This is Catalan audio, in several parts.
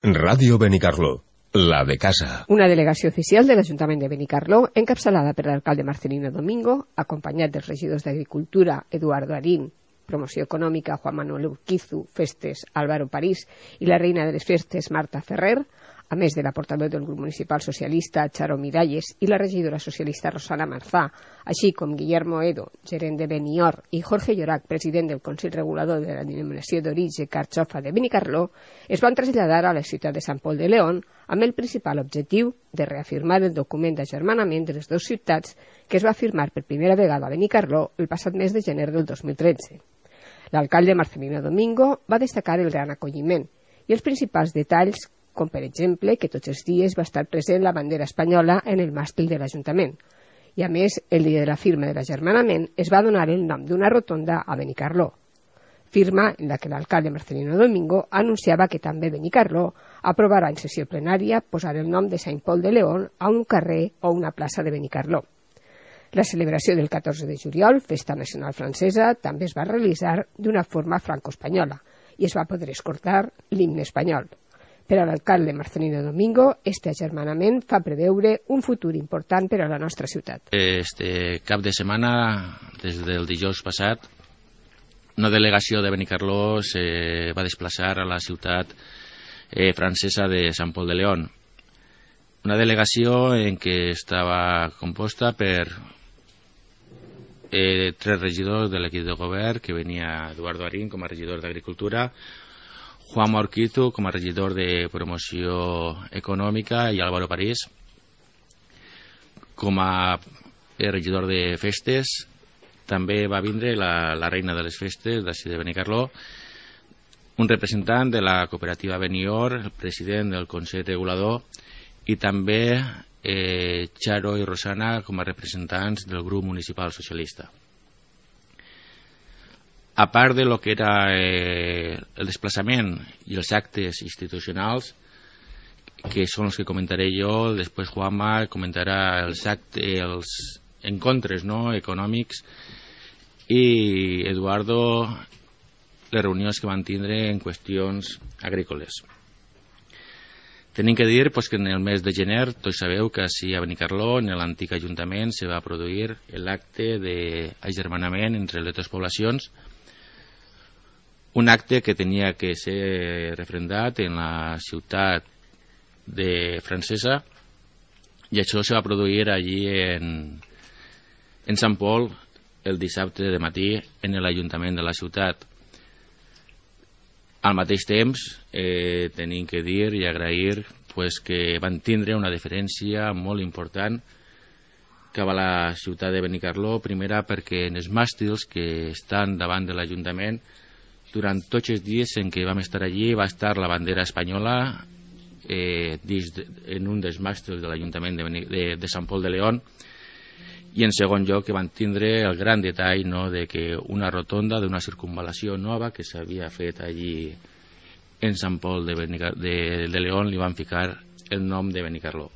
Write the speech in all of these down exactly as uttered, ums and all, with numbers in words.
Ràdio Benicarló, la de casa. Una delegació oficial de l'Ajuntament de Benicarló, encapçalada per l'alcalde Marcelino Domingo, acompanyat dels regidors d'Agricultura, Eduardo Arín, Promoció Econòmica, Juan Manuel Urquizu, Festes, Álvaro París, i la reina de les festes, Marta Ferrer, a més de la portaveu del grup municipal socialista, Charo Miralles, i la regidora socialista Rosana Marzà, així com Guillermo Edo, gerent de Benior, i Jorge Llorac, president del Consell Regulador de la Denominació d'Origen Carxofa de Benicarló, es van traslladar a la ciutat de Sant Pol de León amb el principal objectiu de reafirmar el document d'agermanament de les dues ciutats que es va firmar per primera vegada a Benicarló el passat mes de gener del dos mil tretze. L'alcalde Marcelino Domingo va destacar el gran acolliment i els principals detalls, com per exemple que tots els dies va estar present la bandera espanyola en el màstil de l'Ajuntament. I a més, el dia de la firma de l'agermanament es va donar el nom d'una rotonda a Benicarló, firma en la que l'alcalde Marcelino Domingo anunciava que també Benicarló aprovarà en sessió plenària posar el nom de Sant Pol de León a un carrer o una plaça de Benicarló. La celebració del catorze de juliol, Festa Nacional Francesa, també es va realitzar d'una forma franco-espanyola i es va poder escoltar l'himne espanyol. Per a l'alcalde Marcelino Domingo, este agermanament fa preveure un futur important per a la nostra ciutat. Este cap de setmana, des del dijous passat, una delegació de Benicarló se va desplaçar a la ciutat eh, francesa de Sant Pol de León. Una delegació en què estava composta per eh, tres regidors de l'equip de govern, que venia Eduardo Arín com a regidor d'Agricultura, Juan Urquizu com a regidor de Promoció Econòmica i Álvaro París com a regidor de Festes. També va vindre la, la reina de les festes d'ací de Benicarló, un representant de la cooperativa Benior, el president del Consell Regulador i també eh, Charo i Rosana com a representants del grup municipal socialista. A part de lo que era eh, el desplaçament i els actes institucionals, que són els que comentaré jo, després Juanma comentarà els actes, els encontres no, econòmics, i Eduardo les reunions que van tindre en qüestions agrícoles. Tenim que dir pues, que en el mes de gener, tots sabeu que així a Benicarló, en l'antic ajuntament, se va produir l'acte d'agermanament entre les dues poblacions, un acte que tenia que ser refrendat en la ciutat de francesa, i això se va produir allí en, en Sant Pol el dissabte de matí en l'Ajuntament de la ciutat. Al mateix temps eh, tenim que dir i agrair pues, que van tindre una diferència molt important cap a la ciutat de Benicarló, primera perquè en els màstils que estan davant de l'Ajuntament, durant tots els dies en què vam estar allí va estar la bandera espanyola eh, de, en un dels màstils de l'Ajuntament de, de, de Sant Pol de León, i en segon lloc que van tindre el gran detall no, de que una rotonda d'una circunvalació nova que s'havia fet allí en Sant Pol de, Benicar de, de León li van ficar el nom de Benicarló.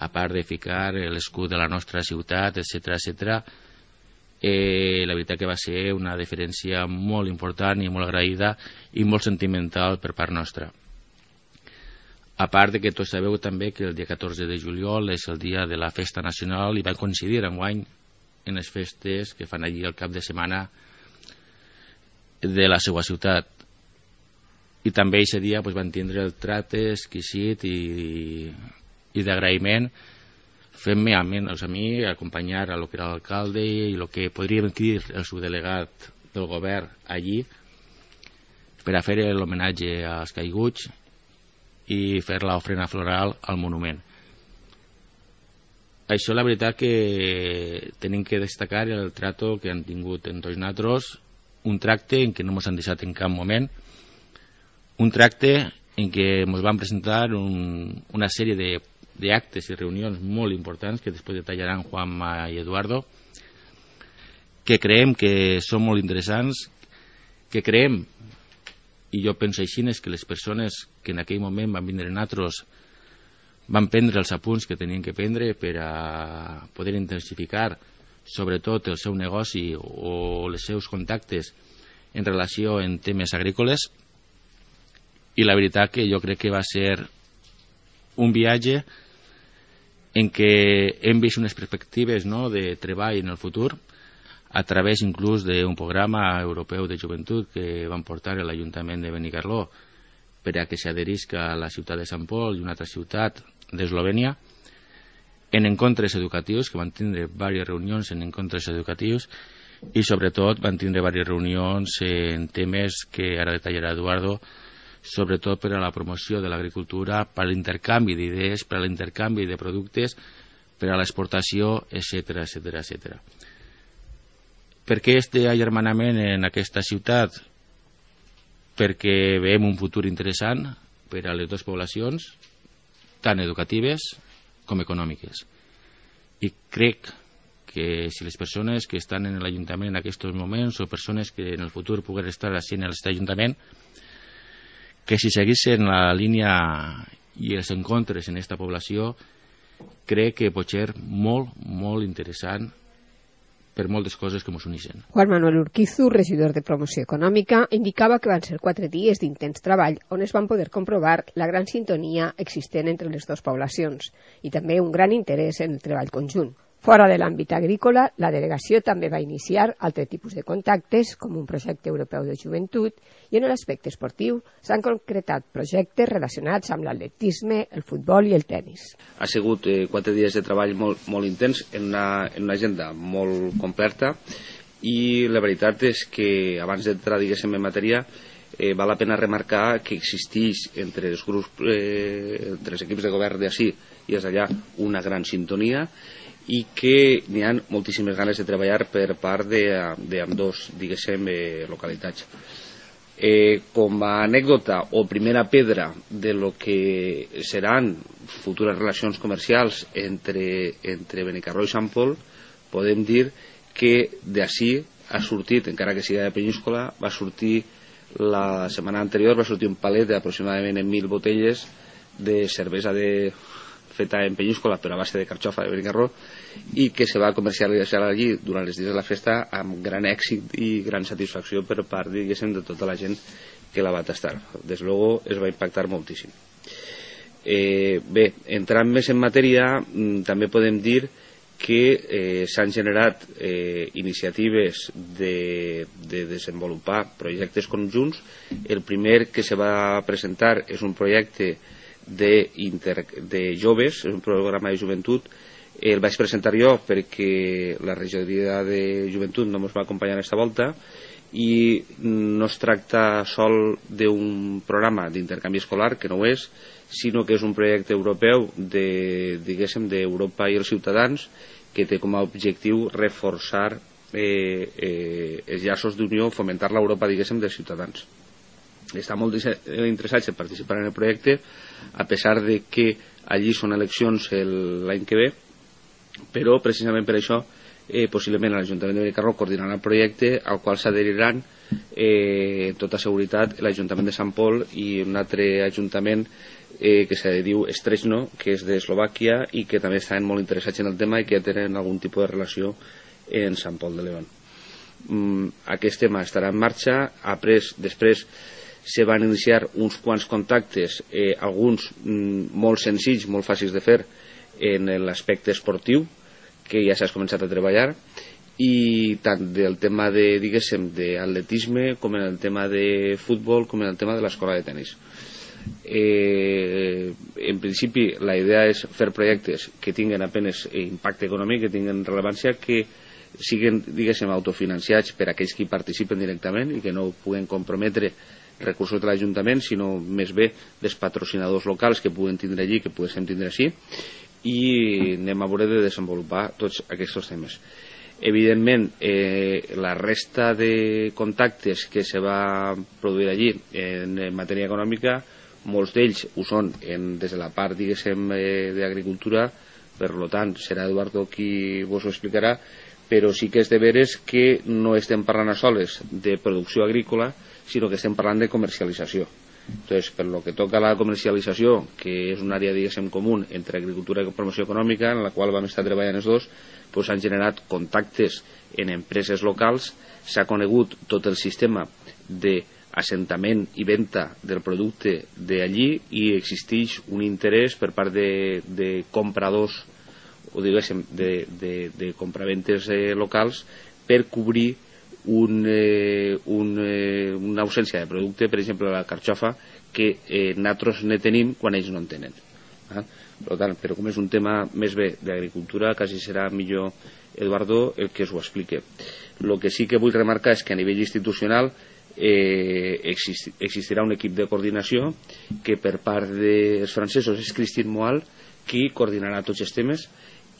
A part de ficar l'escut de la nostra ciutat, etcètera, etcètera, Eh, la veritat que va ser una diferència molt important i molt agraïda i molt sentimental per part nostra. A part de que tots sabeu també que el dia catorze de juliol és el dia de la Festa Nacional i va coincidir enguany en les festes que fan allí el cap de setmana de la seva ciutat. I també aquest dia pues, van tindre el tracte exquisit i, i d'agraïment, fent-me a mi, a mi acompanyar a lo que era l'alcalde i el que podríem dir el subdelegat del govern allí per a fer l'homenatge als caiguts i fer l'ofrena floral al monument. Això la veritat que tenim que destacar el tracte que han tingut en tots nosaltres, un tracte en què no ens han deixat en cap moment, un tracte en què ens van presentar un, una sèrie de d'actes i reunions molt importants que després detallaran Juanma i Eduardo, que creiem que són molt interessants, que creiem, i jo penso així, que les persones que en aquell moment van vindre nosaltres van prendre els apunts que tenien que prendre per a poder intensificar sobretot el seu negoci o els seus contactes en relació en temes agrícoles, i la veritat que jo crec que va ser un viatge en què hem vist unes perspectives, no?, de treball en el futur a través inclús d'un programa europeu de joventut que van portar a l'Ajuntament de Benicarló per a que s'adherisca a la ciutat de Sant Pol i una altra ciutat d'Eslovènia, en encontres educatius, que van tindre diverses reunions en encontres educatius i sobretot van tindre diverses reunions en temes que ara detallarà Eduardo, sobretot per a la promoció de l'agricultura, per a l'intercanvi d'idees, per a l'intercanvi de productes, per a l'exportació, etcètera, etcètera, etcètera. Per què este agermanament en aquesta ciutat? Perquè veiem un futur interessant per a les dues poblacions, tant educatives com econòmiques. I crec que si les persones que estan en l'Ajuntament en aquests moments o persones que en el futur puguen estar així en aquest Ajuntament, que si seguissin la línia i els encontres en aquesta població, crec que pot ser molt, molt interessant per moltes coses que ens uneixen. Juan Manuel Urquizu, regidor de Promoció Econòmica, indicava que van ser quatre dies d'intens treball on es van poder comprovar la gran sintonia existent entre les dues poblacions i també un gran interès en el treball conjunt. Fora de l'àmbit agrícola, la delegació també va iniciar altres tipus de contactes, com un projecte europeu de joventut, i en l'aspecte esportiu s'han concretat projectes relacionats amb l'atletisme, el futbol i el tennis. Ha sigut eh, quatre dies de treball molt, molt intens, en una, en una agenda molt completa, i la veritat és que abans d'entrar, diguéssim, en matèria, eh, val la pena remarcar que existeix entre els grups, eh, entre els equips de govern d'ací i els d'allà una gran sintonia, i que n'hi ha moltíssimes ganes de treballar per part d'ambdós, diguéssim, eh, localitats. Eh, com a anècdota o primera pedra de lo que seran futures relacions comercials entre, entre Benicarló i Sant Pol, podem dir que d'ací ha sortit, encara que sigui de Penyíscola, va sortir la setmana anterior, va sortir un palet d'aproximadament mil botelles de cervesa de feta en Penyíscola, però a base de carxofa de Benicarló, i que se va comercialitzar allí durant els dies de la festa amb gran èxit i gran satisfacció per part, diguéssim, de tota la gent que la va tastar. Des luego es va impactar moltíssim. Eh, bé, entrant més en matèria, també podem dir que eh, s'han generat eh, iniciatives de, de desenvolupar projectes conjunts. El primer que se va presentar és un projecte de, inter, de joves, un programa de joventut. El vaig presentar jo perquè la regidoria de joventut no ens va acompanyar aquesta volta, i no es tracta sol d'un programa d'intercanvi escolar, que no ho és, sinó que és un projecte europeu de, diguéssim, d'Europa i els ciutadans, que té com a objectiu reforçar eh, eh, els llaços d'unió, fomentar l'Europa, diguéssim, dels ciutadans. Està molt interessats en participar en el projecte, a pesar de que allí són eleccions l'any que ve, però precisament per això eh, possiblement l'Ajuntament de Benicarló coordinarà el projecte, al qual s'adheriran eh, amb tota seguretat l'Ajuntament de Sant Pol i un altre ajuntament eh, que se diu Strezno, que és d'Eslovàquia i que també estan molt interessats en el tema i que tenen algun tipus de relació en Sant Pol de León. Mm, aquest tema estarà en marxa. Après, després se van iniciar uns quants contactes, eh, alguns mm, molt senzills, molt fàcils de fer en l'aspecte esportiu, que ja s'ha començat a treballar, i tant del tema de, diguéssim, d'atletisme, com en el tema de futbol, com en el tema de l'escola de tenis. Eh, en principi la idea és fer projectes que tinguen apenas impacte econòmic, que tinguen rellevància, que siguin, diguéssim, autofinanciats per aquells que hi participen directament i que no puguen comprometre recursos de l'Ajuntament, sinó més bé dels patrocinadors locals que puguen tindre allí, que poguéssim tindre així, i anem a veure de desenvolupar tots aquests temes. Evidentment, eh, la resta de contactes que se va produir allí en, en matèria econòmica, molts d'ells ho són en, des de la part, diguéssim, eh, d'agricultura, per tant serà Eduardo qui vos ho explicarà, però sí que és de veres que no estem parlant a soles de producció agrícola, sinó que estem parlant de comercialització. Entonces, per lo que toca a la comercialització, que és una àrea, diguéssim, comú entre agricultura i promoció econòmica, en la qual vam estar treballant els dos, pues s'han generat contactes en empreses locals, s'ha conegut tot el sistema de assentament i venda del producte d'allí i existeix un interès per part de, de compradors o diguéssim de, de, de compraventes eh, locals per cobrir un, eh, un, eh, una ausència de producte, per exemple la carxofa, que eh, nosaltres ne tenim quan ells no en tenen. Eh? Per tant, però com és un tema més bé d'agricultura, quasi serà millor Eduardo el que us ho explique. El que sí que vull remarcar és que a nivell institucional eh, exist, existirà un equip de coordinació que per part dels francesos és Christine Moal qui coordinarà tots els temes,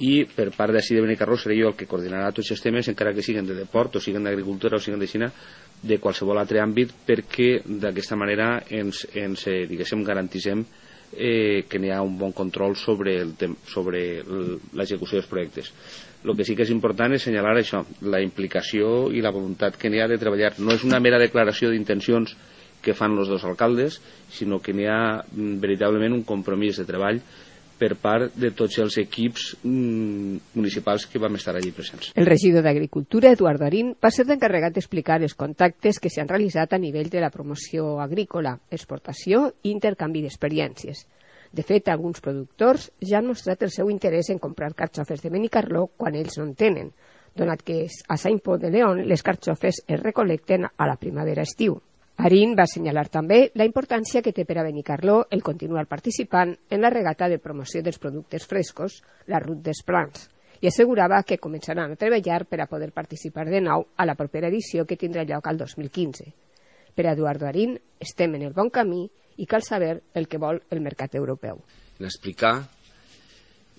i per part d'ací de Benicarló seré jo el que coordinarà tots els temes, encara que siguin de deport o siguin d'agricultura o siguin de Xina, de qualsevol altre àmbit, perquè d'aquesta manera ens, ens eh, diguéssim, garantissem eh, que n'hi ha un bon control sobre el sobre l'execució dels projectes. El que sí que és important és assenyalar això, la implicació i la voluntat que n'hi ha de treballar. No és una mera declaració d'intencions que fan els dos alcaldes, sinó que n'hi ha veritablement un compromís de treball per part de tots els equips mm, municipals que vam estar allí presents. El regidor d'Agricultura, Eduardo Arín, va ser l'encarregat d'explicar els contactes que s'han realitzat a nivell de la promoció agrícola, exportació i intercanvi d'experiències. De fet, alguns productors ja han mostrat el seu interès en comprar carxofes de Benicarló quan ells no en tenen, donat que a Saint-Pol de León les carxofes es recolecten a la primavera-estiu. Arín va assenyalar també la importància que té per a Benicarló el continuar participant en la regata de promoció dels productes frescos, la Route des Plans, i assegurava que començaran a treballar per a poder participar de nou a la propera edició que tindrà lloc al dos mil quinze. Per a Eduardo Arín estem en el bon camí i cal saber el que vol el mercat europeu. En explicar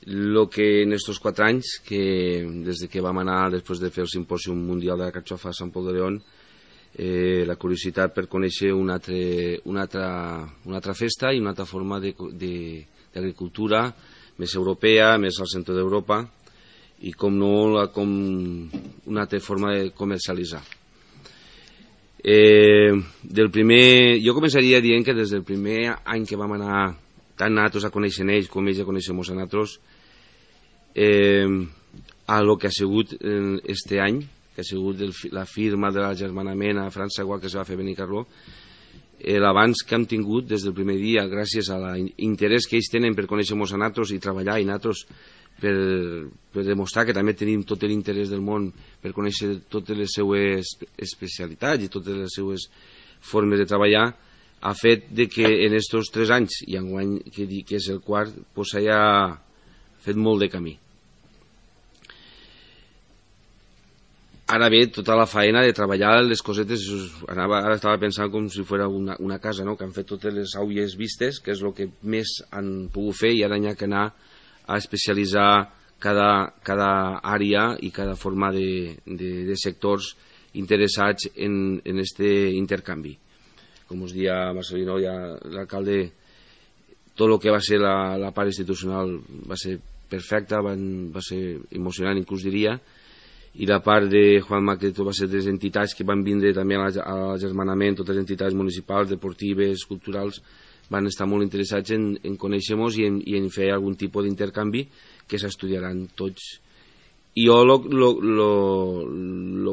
el que en estos quatre anys, que des de que vam anar després de fer el simpòsium mundial de la carxofa a Sant Pol de León, Eh, la curiositat per conèixer una altra, una, altra, una altra festa i una altra forma d'agricultura més europea, més al centre d'Europa i com no la, com una altra forma de comercialitzar. Eh, del primer, jo començaria dient que des del primer any que vam anar tant nosaltres a conèixer ells com ells a conèixer a nosaltres, eh, a lo que ha sigut este any, que ha sigut el, la firma de l'agermanament a França, igual que es va fer a Benicarló, l'avanç que hem tingut des del primer dia, gràcies a l'interès que ells tenen per conèixer-nos a nosaltres i treballar i nosaltres per, per demostrar que també tenim tot l'interès del món per conèixer totes les seues especialitats i totes les seues formes de treballar, ha fet de que en aquests tres anys, i enguany que, que és el quart, pues s'hagi fet molt de camí. Ara ve tota la faena de treballar les cosetes, anava, ara estava pensant com si fos una, una casa, no? Que han fet totes les aules vistes, que és el que més han pogut fer, i ara hi ha que anar a especialitzar cada, cada àrea i cada forma de, de, de sectors interessats en, en este intercanvi. Com us dia Marcelino, ja l'alcalde, tot el que va ser la, la part institucional va ser perfecta, van, va ser emocionant, inclús diria, i la part de Juan Macreto va ser de les entitats que van vindre també a l'agermanament, totes les entitats municipals, deportives, culturals, van estar molt interessats en, en conèixer-nos i, i en fer algun tipus d'intercanvi que s'estudiaran tots. I jo el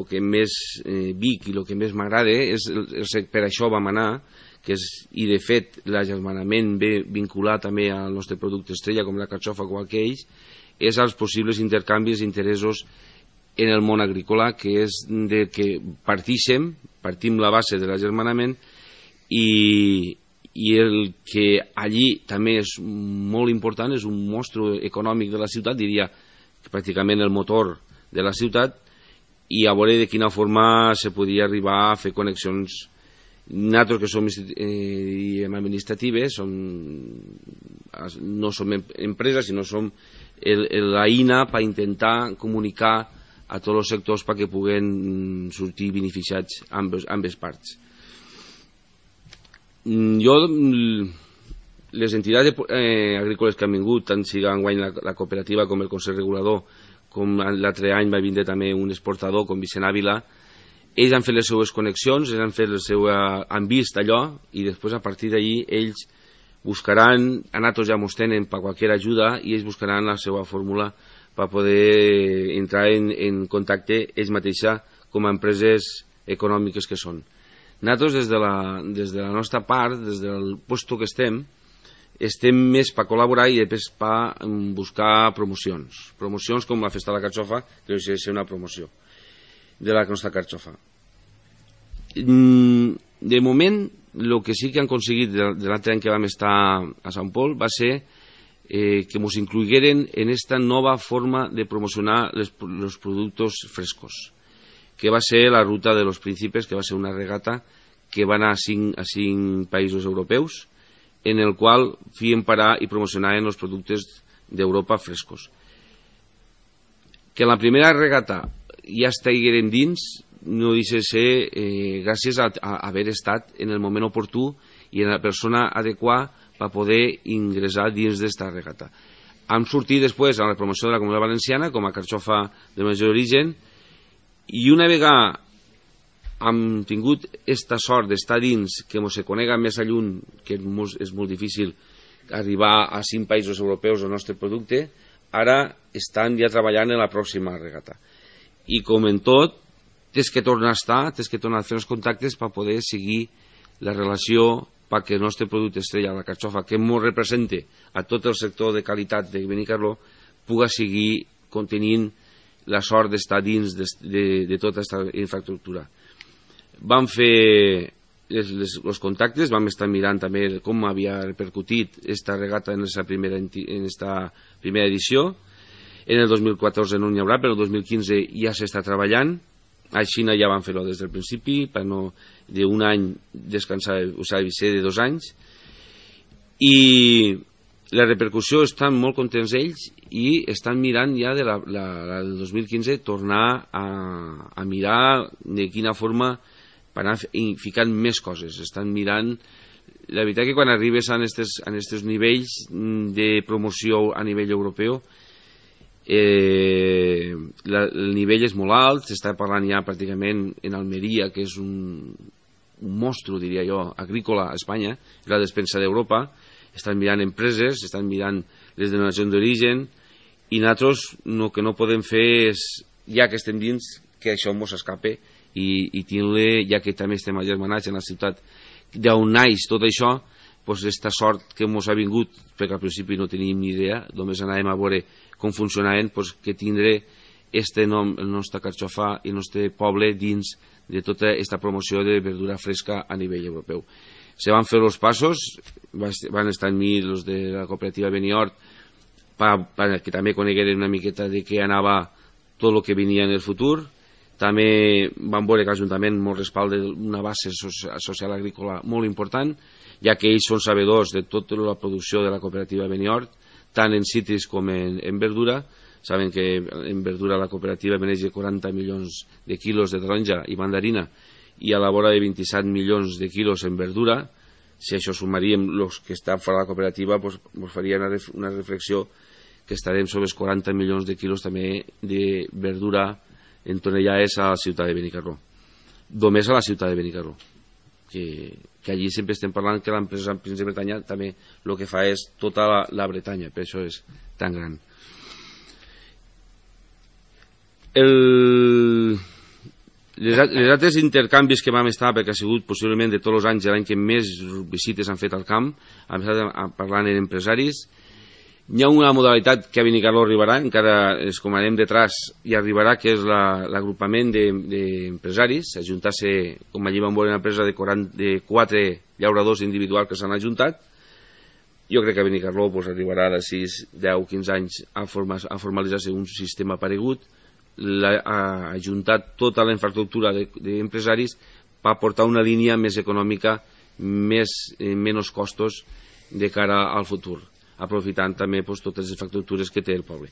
que més eh, vic i el que més m'agrada és, el, el, per això vam anar, que és, i de fet l'agermanament ve vinculat també al nostre producte estrella, com la carxofa o que ells, és als possibles intercanvis d'interessos en el món agrícola, que és de que partíssim, partim la base de l'agermanament i, i el que allí també és molt important, és un mostre econòmic de la ciutat, diria que pràcticament el motor de la ciutat, i a veure de quina forma se podia arribar a fer connexions. Nosaltres que som eh, administratives, som, no som empreses, sinó som l'eina per intentar comunicar a tots els sectors perquè puguen sortir beneficiats ambes, ambes parts. Jo, les entitats eh, agrícoles que han vingut, tant sigui enguany la, la cooperativa com el Consell Regulador, com l'altre any va vindre també un exportador com Vicent Ávila, ells han fet les seues connexions, ells han fet el seu, han vist allò, i després a partir d'allí ells buscaran, a nosaltres ja mos tenen per qualsevol ajuda, i ells buscaran la seva fórmula per poder entrar en, en contacte ells mateixos com a empreses econòmiques que són. Nosaltres, des de la, des de la nostra part, des del lloc que estem, estem més per col·laborar i després per buscar promocions. Promocions com la Festa de la Carxofa, que és una promoció de la nostra carxofa. De moment, el que sí que han aconseguit de l'altre any que vam estar a Sant Pol va ser eh, que ens incluïgueren en esta nova forma de promocionar els productes frescos, que va ser la Ruta de los Príncipes, que va ser una regata que va anar a cinc, a cinc països europeus, en el qual feien parar i promocionaven els productes d'Europa frescos. Que la primera regata ja estigueren dins no deixa de ser eh, gràcies a, a haver estat en el moment oportú i en la persona adequada per poder ingressar dins d'esta regata. Hem sortit després a la promoció de la Comunitat Valenciana com a carxofa de major origen, i una vegada hem tingut esta sort d'estar dins, que ens se conega més a lluny, que és molt difícil arribar a cinc països europeus el nostre producte, ara estan ja treballant en la pròxima regata. I com en tot, tens que tornar a estar, tens que tornar a fer els contactes per poder seguir la relació perquè el nostre producte estrella, la carxofa, que ens representa a tot el sector de qualitat de Benicarló, puga seguir contenint la sort d'estar dins de, de, de tota aquesta infraestructura. Vam fer els contactes, vam estar mirant també com havia repercutit esta regata en esta primera, en esta primera edició. En el dos mil catorze no n'hi haurà, però el dos mil quinze ja s'està treballant. A Xina ja van fer-ho des del principi, per no d'un any descansar, o sigui, ser de dos anys. I la repercussió, estan molt contents ells i estan mirant ja de la, la, la del dos mil quinze tornar a, a mirar de quina forma per anar ficant més coses. Estan mirant, la veritat que quan arribes a aquests nivells de promoció a nivell europeu, eh, la, el nivell és molt alt, s'està parlant ja pràcticament en Almeria, que és un, un monstre, diria jo, agrícola a Espanya, la despensa d'Europa. Estan mirant empreses, estan mirant les denominacions d'origen, i nosaltres el que no podem fer és, ja que estem dins, que això ens escape i, i tindre, ja que també estem agermanats en la ciutat d'on naix tot això, doncs aquesta sort que ens ha vingut, perquè al principi no teníem ni idea, només anàvem a veure com funcionaven, doncs que tindre este nom, el nostre carxofa i el nostre poble dins de tota aquesta promoció de verdura fresca a nivell europeu. Se van fer els passos, van estar amb mi els de la cooperativa Beniort, que també conegueren una miqueta de què anava tot el que venia en el futur. També van veure que l'Ajuntament ens respalda una base social agrícola molt important, ja que ells són sabedors de tota la producció de la cooperativa Beniort, tant en cítrics com en, en verdura. Saben que en verdura la cooperativa maneja quaranta milions de quilos de taronja i mandarina i a la vora de vint-i-set milions de quilos en verdura. Si això sumaríem els que estan fora de la cooperativa, doncs, doncs faria una, ref, una reflexió que estarem sobre els quaranta milions de quilos també de verdura en tonellades a la ciutat de Benicarló. Només a la ciutat de Benicarló. Que, que allí sempre estem parlant que l'empresa Príncep de Bretanya també el que fa és tota la, la Bretanya, per això és tan gran. El... Les, les altres intercanvis que vam estar, perquè ha sigut possiblement de tots els anys l'any que més visites han fet al camp, hem estat parlant amb empresaris. Hi ha una modalitat que a Benicarló arribarà, encara es comanem detrás i arribarà, que és l'agrupament d'empresaris, ajuntar-se, com allí vam veure una empresa de, quaranta, de quatre llauradors individuals que s'han ajuntat. Jo crec que a Benicarló pues, arribarà de sis, deu, quinze anys a, forma, a formalitzar-se un sistema paregut, la, a ajuntar tota la infraestructura d'empresaris per portar una línia més econòmica, més, eh, menys costos de cara al futur, aprofitant també pues, totes les infraestructures que té el poble.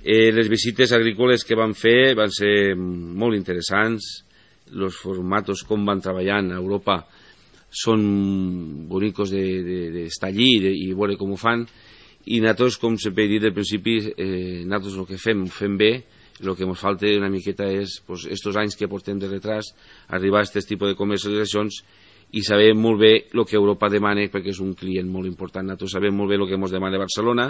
Eh, les visites agrícoles que van fer van ser molt interessants, els formatos com van treballant a Europa són bonicos d'estar de, de, allí de, i veure com ho fan, i nosaltres, com sempre he dit al principi, eh, nosaltres el que fem, ho fem bé. El que ens falta una miqueta és, pues, estos anys que portem de retras, arribar a aquest tipus de comercialitzacions i saber molt bé el que Europa demana, perquè és un client molt important. Nosaltres sabem molt bé el que ens demana Barcelona,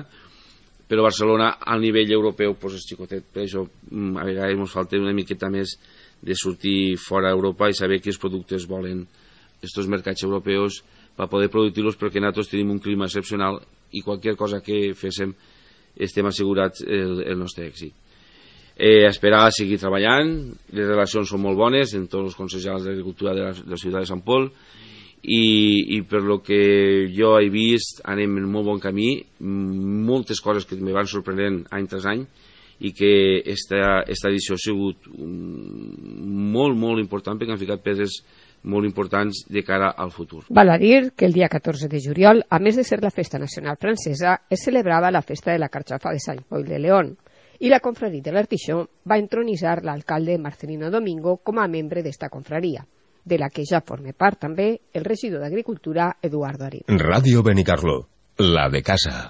però Barcelona al nivell europeu pues, és xicotet. Per això a vegades ens falta una miqueta més de sortir fora d'Europa i saber quins productes volen estos mercats europeus per poder produir-los, perquè nosaltres tenim un clima excepcional i qualsevol cosa que féssim estem assegurats el, el nostre èxit. Eh, esperar a seguir treballant, les relacions són molt bones en tots els consells d'agricultura de la, de la ciutat de Sant Pol i, i per lo que jo he vist anem en molt bon camí, moltes coses que me van sorprenent any tras any i que esta, esta edició ha sigut molt, molt important perquè han ficat pedres molt importants de cara al futur. Val a dir que el dia catorze de juliol, a més de ser la festa nacional francesa, es celebrava la festa de la carxofa de Sant Pol de León i la confraria de l'Artixó va entronitzar l'alcalde Marcelino Domingo com a membre d'esta confraria, de la que ja forma part també el regidor d'Agricultura Eduardo Arín. Radio Benicarló, la de casa.